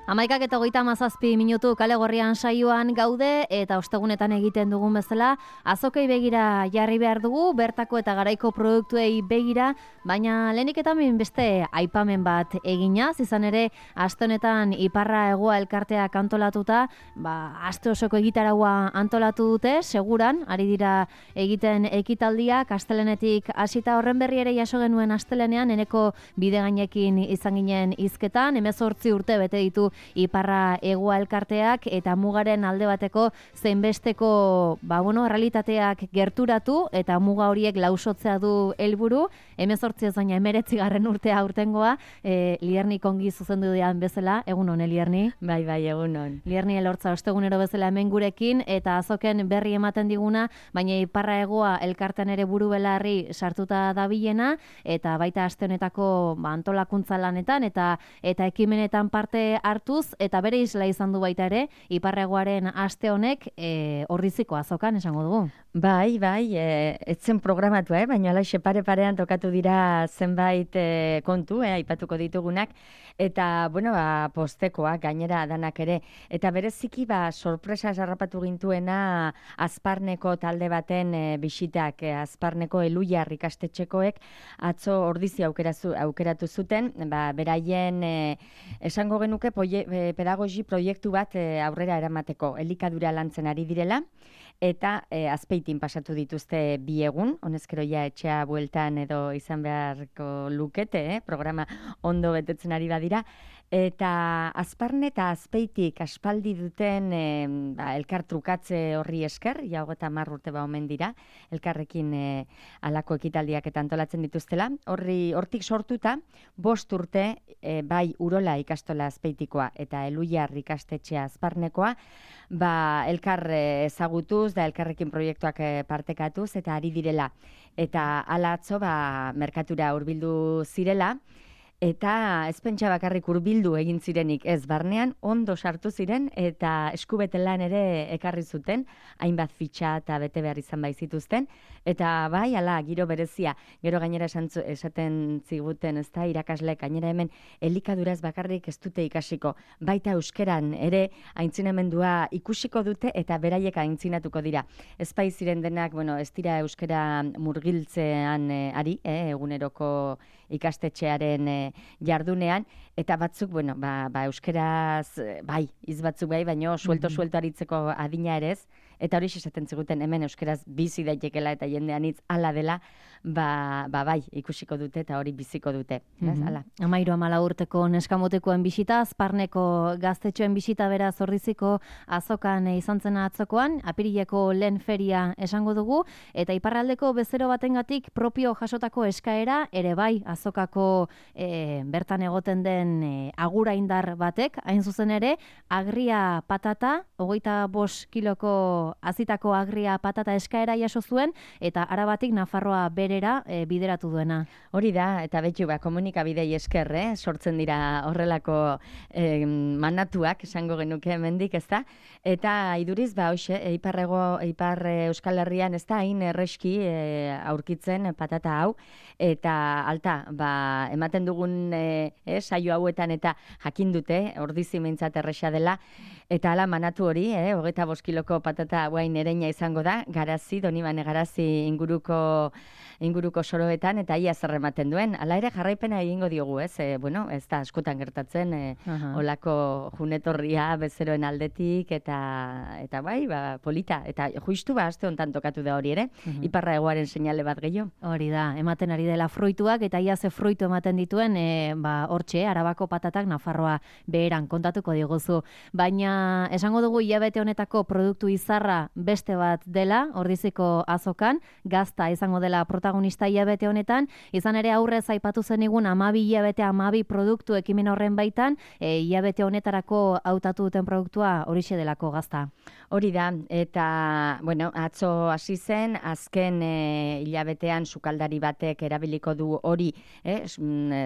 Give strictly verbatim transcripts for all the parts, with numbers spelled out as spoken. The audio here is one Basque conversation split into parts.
Amaikak eta hogeita hamazazpi minutu kale gorrian saioan gaude eta ostegunetan egiten dugun bezala azokei begira jarri behar dugu, bertako eta garaiko produktuei begira, baina lehenik eta beste aipamen bat eginaz, izan ere aste honetan Iparra Hegoa elkarteak antolatuta, ba, aste osoko egitaragua antolatu dute, seguran, ari dira egiten ekitaldiak, astelenetik hasita horren berri ere jaso genuen astelenean, eneko bide gainekin izan ginen hizketan, hemezortzi urte bete ditu Iparra Hegoa elkarteak eta mugaren alde bateko zeinbesteko ba, bueno, realitateak gerturatu eta muga horiek lausotzea du helburu. hemezortzi ez baina hemeretzi garren urtea urtengoa, e, Lierni kongi zuzendu dian bezala, egun hon, Lierni? Bai, bai, egun hon. Lierni elortza ostegunero bezala hemen gurekin eta azoken berri ematen diguna, baina Iparra Hegoa elkartean ere buru belarri sartuta dabilena eta baita aste honetako ba, antolakuntza lanetan eta eta ekimenetan parte hartuz eta bere isla izan du baita ere Iparra Hegoaren aste honek e, Orriziko azokan esango dugu. Bai, bai, e, etzen programatua, eh? Baina alaxe pare-parean tokatu dira zenbait e, kontu, eh? Aipatuko ditugunak, eta, bueno, ba, postekoak gainera danak ere, eta bereziki, ba, sorpresa zarrapatu gintuena Azparneko talde baten e, bisitak, e, Azparneko Eluiar ikastetxekoek atzo ordizi aukerazu, aukeratu zuten, ba, beraien e, esango genuke poie, e, pedagogi proiektu bat e, aurrera eramateko, elikadura lantzen ari direla, eta e, azpeitin pasatu dituzte bi egun, honezkero ja etxea bueltan edo izan beharko lukete, eh? Programa ondo betetzen ari badira, eta Azparne eta Azpeitik aspaldi duten e, ba, elkar trukatze horri esker, ja hogeta hamar urte ba omen dira, elkarrekin e, alako ekitaldiak eta antolatzen dituztela, horri hortik sortuta, bost urte e, bai Urola ikastola Azpeitikoa eta Eluiar ikastetxea Azparnekoa, ba, elkar ezagutuz da elkarrekin proiektuak partekatuz eta ari direla. Eta hala atzo ba, merkatura hurbildu zirela, eta ez pentsa bakarrik hurbildu egin zirenik ez barnean, ondo sartu ziren eta eskubete lan ere ekarri zuten, hainbat fitxa eta bete behar izan bai zituzten, eta bai, ala, giro berezia, gero gainera esantzu, esaten ziguten, ez da, irakasleek, gainera hemen elikaduraz bakarrik ez dute ikasiko, baita euskeran ere aintzinamendua ikusiko dute eta beraiek aintzinatuko dira. Ez bai ziren denak, bueno, ez dira euskera murgiltzean eh, ari, eh, eguneroko ikastetxearen eh, jardunean, eta batzuk, bueno, ba, ba euskeraz, bai, iz batzuk bai, baino suelto-suelto aritzeko adina ere ez, eta hori esaten ziguten hemen euskeraz bizi daitekela eta jendean hitz hala dela, ba, ba bai, ikusiko dute eta hori biziko dute. Mm-hmm. Amairu amala urteko neskamotekoen bisita, Azparneko gaztetxoen bisita bera Orriziko azokan izan zena atzokoan, apirileko lehen feria esango dugu, eta iparraldeko bezero batengatik propio jasotako eskaera, ere bai, azokako e, bertan egoten den e, agura indar batek, hain zuzen ere, agria patata, hogeita bost kiloko azitako agria patata eskaera jaso zuen, eta arabatik Nafarroa berera e, bideratu duena. Hori da, eta betu, ba, komunikabidei esker, eh? Sortzen dira horrelako eh, manatuak, esango genuke hemendik, ez da? Eta iduriz, ba, hoxe, Iparrego, Ipar Euskal Herrian, ez da, hain erreski e, aurkitzen patata hau, eta alta, ba, ematen dugun e, e, saio hauetan eta jakin dute, ordizi meintzat erresa dela, eta ala manatu hori, eh, hogeita bost kiloko patata guain ereina izango da, garazi, Donibane garazi inguruko inguruko soroetan, eta ia zer ematen duen. Hala ere jarraipena egingo diogu, ez? E, bueno, ez da askotan gertatzen, e, uh-huh. olako junetorria bezeroen aldetik, eta eta bai, ba, polita. Eta justu ba, aste hontan tokatu da hori ere, uh-huh. Iparra Hegoaren seinale bat gehiago. Hori da, ematen ari dela fruituak, eta ia ze fruitu ematen dituen, e, ba, hortxe, Arabako patatak Nafarroa beheran kontatuko diguzu. Baina, esango dugu hilabete honetako produktu izarra beste bat dela, Orriziko azokan, gazta izango dela protagonista hilabete honetan, izan ere aurrez aipatu zenigun amabi hilabete amabi produktu ekimen horren baitan, e, hilabete honetarako hautatu duten produktua horixe delako gazta. Hori da, eta, bueno, atzo hasi zen, azken e, hilabetean sukaldari batek erabiliko du hori, eh,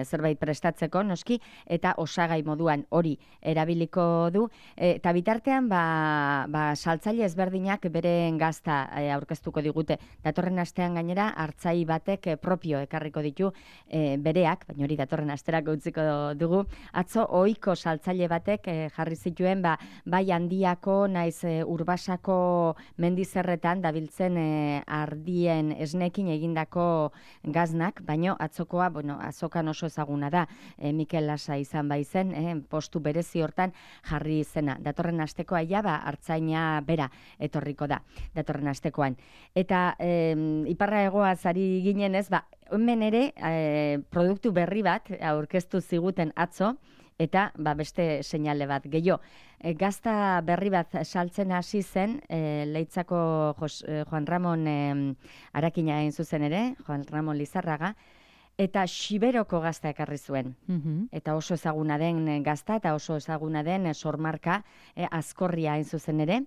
zerbait prestatzeko, noski, eta osagai moduan hori erabiliko du, eta bitartean, ba, ba, saltzaile ezberdin ezberdinak beren gazta e, aurkeztuko digute. Datorren astean gainera, hartzai batek e, propio ekarriko ditu e, bereak, baina hori datorren asterako utziko dugu. Atzo, ohiko saltzaile batek e, jarri zituen, ba, bai handiako, naiz e, urbasako mendizerretan dabiltzen e, ardien esnekin egindako gaznak, baina atzokoa, bueno, azokan oso ezaguna da, e, Mikel Lasa izan baizen, e, postu berezi hortan jarri zena. Datorren astekoa ja, ba, hartzaina bera etorriko da, datorren astekoan. Eta e, iparra egoa zari ginen ez, ba, hemen ere e, produktu berri bat aurkeztu ziguten atzo, eta ba, beste seinale bat. Gehiago, e, gazta berri bat saltzen hasi zen, e, Leitzako Jos, e, Juan Ramon e, Arakina egin zuzen ere, Juan Ramon Lizarraga, eta Xiberoko gazta ekarri zuen. Mhm. Eta oso ezaguna den gazta eta oso ezaguna den sormarka e, Azkorria hain zuzen ere.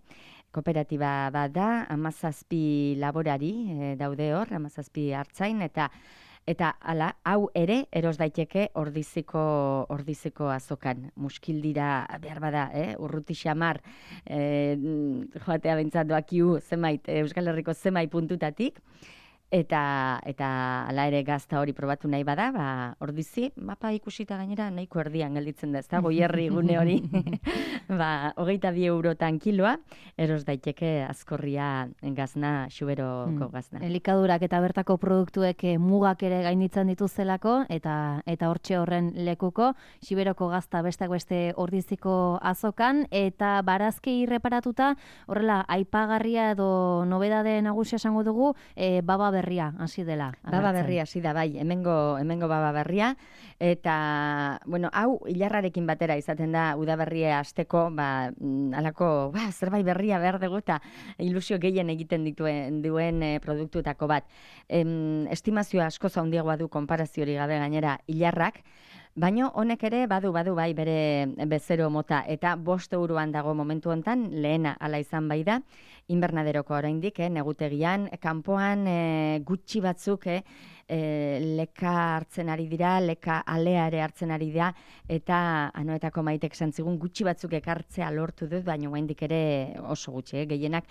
Kooperatiba bat da, hamazazpi laborari e, daude hor, hamazazpi hartzain, eta eta hala, hau ere eros daiteke ordiziko ordiziko azokan. Muskildira behar bada, eh? Urruti xamar, eh, joatea bentsat doakiu zenbait, Euskal Herriko zenbait puntutatik, eta eta hala ere gazta hori probatu nahi bada, ba, ordizi, mapa ikusita gainera nahiko erdian gelditzen da, ez da, Goierri gune hori, ba, hogeita bi eurotan kiloa, eros daiteke Azkorria gazna, Xuberoko gazna. Elikadurak eta bertako produktuek eh, mugak ere gainditzen dituztelako, eta eta hortxe horren lekuko, Xiberoko gazta besteak beste ordiziko azokan, eta barazki reparatuta, horrela, aipagarria edo nobedade nagusia esango dugu, eh, baba berria hasi dela. Baba berria hasi da, bai, hemengo, hemengo baba berria, eta, bueno, hau hilarrarekin batera izaten da udaberria hasteko, ba, alako, ba, zerbait berria behar dugu, eta ilusio gehien egiten dituen duen e, produktutako bat. Em, estimazioa asko handiagoa du konparaziorik gabe gainera hilarrak, baino honek ere badu badu bai bere bezero mota, eta bost euroan dago momentu hontan, lehena ala izan bai da, inbernaderoko oraindik, eh, negutegian, kanpoan eh, gutxi batzuk eh, eh, leka hartzen ari dira, leka alea ere hartzen ari dira, eta Anoetako Maitek santzigun gutxi batzuk ekartzea lortu dut, baina oraindik ere oso gutxi, eh, gehienak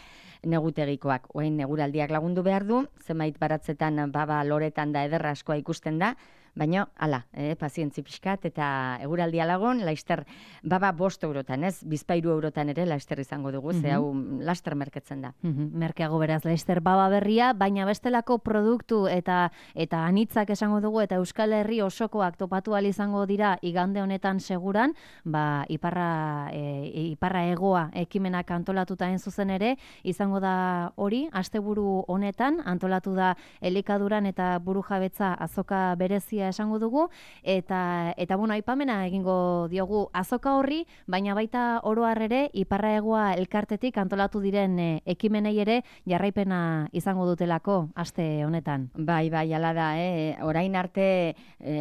negutegikoak. Orain neguraldiak lagundu behar du, zenbait baratzetan baba loretan da ederra askoa ikusten da, baina, hala, eh, pazientzi pixkat, eta eguraldia lagun, laister, baba bost eurotan, ez? Bizpairu eurotan ere laister izango dugu, mm -hmm. ze hau laster merketzen da. Mm -hmm. Merkeago beraz, laister baba berria, baina bestelako produktu eta eta anitzak esango dugu, eta Euskal Herri osokoak topatu ahal izango dira igande honetan seguran, ba, iparra, e, iparra egoa ekimenak antolatuta hain zuzen ere, izango da hori, asteburu honetan, antolatu da elikaduran eta burujabetza azoka berezia esango dugu, eta eta bueno, aipamena egingo diogu azoka horri, baina baita oro har ere iparra egoa elkartetik antolatu diren e, ekimenei ere jarraipena izango dutelako aste honetan. Bai, bai, hala da, eh? Orain arte e,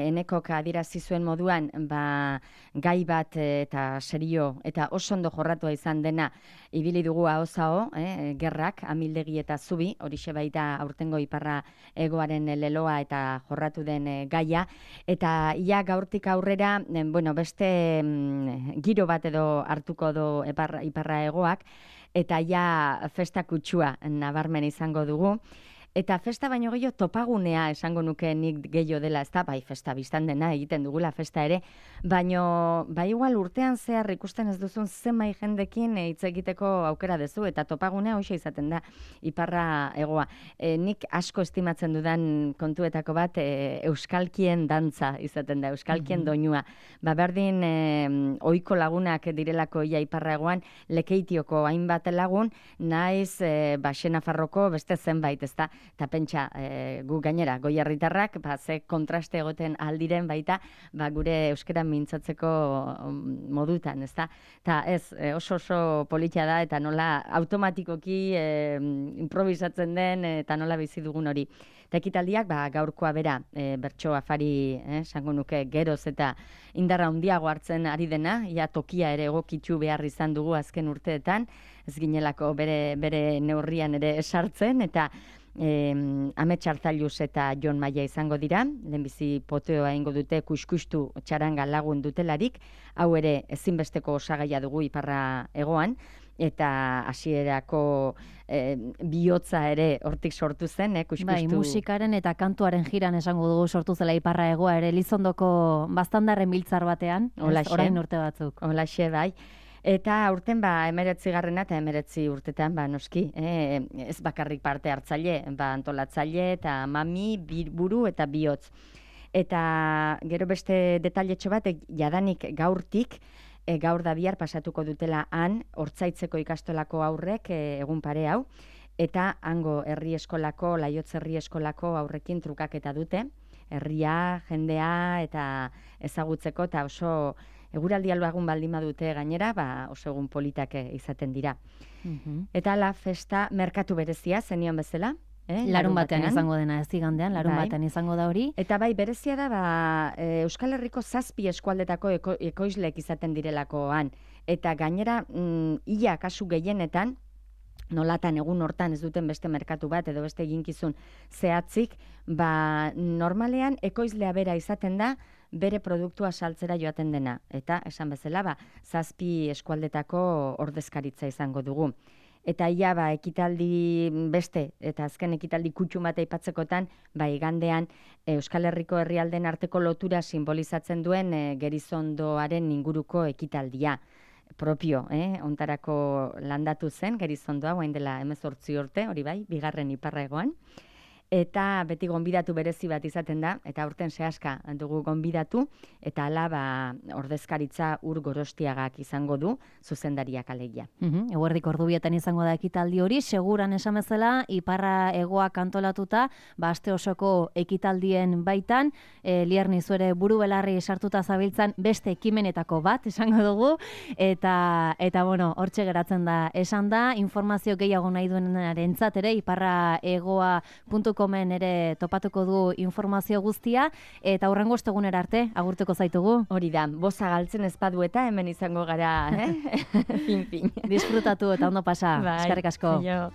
Enekok adierazi zuen moduan, ba, gai bat e, eta serio eta oso ondo jorratua izan dena ibili dugu ahozao, eh? Gerrak, Amildegi eta Zubi, horixe baita aurtengo iparra egoaren leloa eta jorratu den e, gaia. Eta ia gaurtik aurrera, bueno, beste mm, giro bat edo hartuko du iparra, iparra egoak, eta ja festa kutsua nabarmen izango dugu. Eta festa baino gehiago topagunea esango nuke nik gehiago dela, ez da, bai festa biztan dena egiten dugula festa ere, baino, bai igual urtean zehar ikusten ez duzun zenbait jendekin hitz egiteko aukera duzu, eta topagunea hoxe izaten da, iparra egoa. E, nik asko estimatzen dudan kontuetako bat, e, euskalkien dantza izaten da, euskalkien mm-hmm. doinua. Ba, berdin, e, ohiko lagunak direlako ia iparra egoan, Lekeitioko hainbat lagun, naiz, e, ba, Xenafarroko beste zenbait, ez da, eta pentsa, e, gu gainera, Goierritarrak, ba, ze kontraste egoten aldiren baita, ba, gure euskara mintzatzeko modutan, ez da? Eta ez, e, oso oso politia da, eta nola automatikoki e, improvisatzen den, eta nola bizi dugun hori. Eta ekitaldiak, ba, gaurkoa bera, e, bertso afari, eh, sango nuke, geroz eta indarra handiago hartzen ari dena, ia tokia ere egokitzu behar izan dugu azken urteetan, ez ginelako bere, bere neurrian ere esartzen, eta E, Amets Hartzailuz eta Jon Maia izango dira, lehenbizi poteoa ingo dute kuskustu txaranga lagun dutelarik, hau ere ezinbesteko osagaia dugu iparra hegoan, eta hasierako e, bihotza ere hortik sortu zen, eh, kuskustu. Bai, musikaren eta kantuaren jiran esango dugu sortu zela iparra hegoa ere, Elizondoko baztandarren biltzar batean, ez, orain urte batzuk. Holaxe, bai. Eta aurten ba emeretzi garrena eta emeretzi urtetan ba noski, eh, ez bakarrik parte hartzaile, ba antolatzaile eta mami, buru eta bihotz. Eta gero beste detailetxo bat, jadanik gaurtik, e, gaur da bihar pasatuko dutela han, Hortzaitzeko ikastolako aurrek e, egun pare hau, eta hango herri eskolako, Laiotz herri eskolako aurrekin trukaketa dute, herria, jendea eta ezagutzeko, eta oso eguraldi albagun baldin badute gainera, ba oso egun politak izaten dira. Mhm. Eta la festa merkatu berezia zenion bezala, eh? Larun batean izango dena, ez igandean, larun Bai. batean izango da hori. Eta bai, berezia da, ba, e, Euskal Herriko zazpi eskualdetako eko, ekoizleek izaten direlakoan. Eta gainera, mm, ia kasu gehienetan, nolatan egun hortan ez duten beste merkatu bat edo beste eginkizun zehatzik, ba, normalean ekoizlea bera izaten da, bere produktua saltzera joaten dena. Eta, esan bezala, ba, zazpi eskualdetako ordezkaritza izango dugu. Eta ia, ba, ekitaldi beste, eta azken ekitaldi kutxu bat aipatzekotan, ba, igandean Euskal Herriko herrialden arteko lotura simbolizatzen duen e, Gerizondoaren inguruko ekitaldia propio, eh? Ontarako landatu zen Gerizondoa, guain dela hemezortzi urte, hori bai, bigarren iparra hegoan. Eta beti gonbidatu berezi bat izaten da, eta aurten sehaska dugu gonbidatu, eta hala ba, ordezkaritza Ur Gorostiagak izango du, zuzendariak alegia. Mhm, eguerdik ordubietan izango da ekitaldi hori, seguran esan bezala, iparra hegoak antolatuta, ba, aste osoko ekitaldien baitan, e, Lierni zuere buru belarri sartuta zabiltzan beste ekimenetako bat, esango dugu, eta, eta bueno, hortxe geratzen da, esan da, informazio gehiago nahi duenarentzat ere, iparra hegoa puntu comen ere topatuko du informazio guztia, eta hurrengo ostegunera arte, agurtuko zaitugu. Hori da, boza galtzen ez badu eta hemen izango gara, eh? fin, fin. Disfrutatu eta ondo pasa, Bai, eskerrik asko. aio.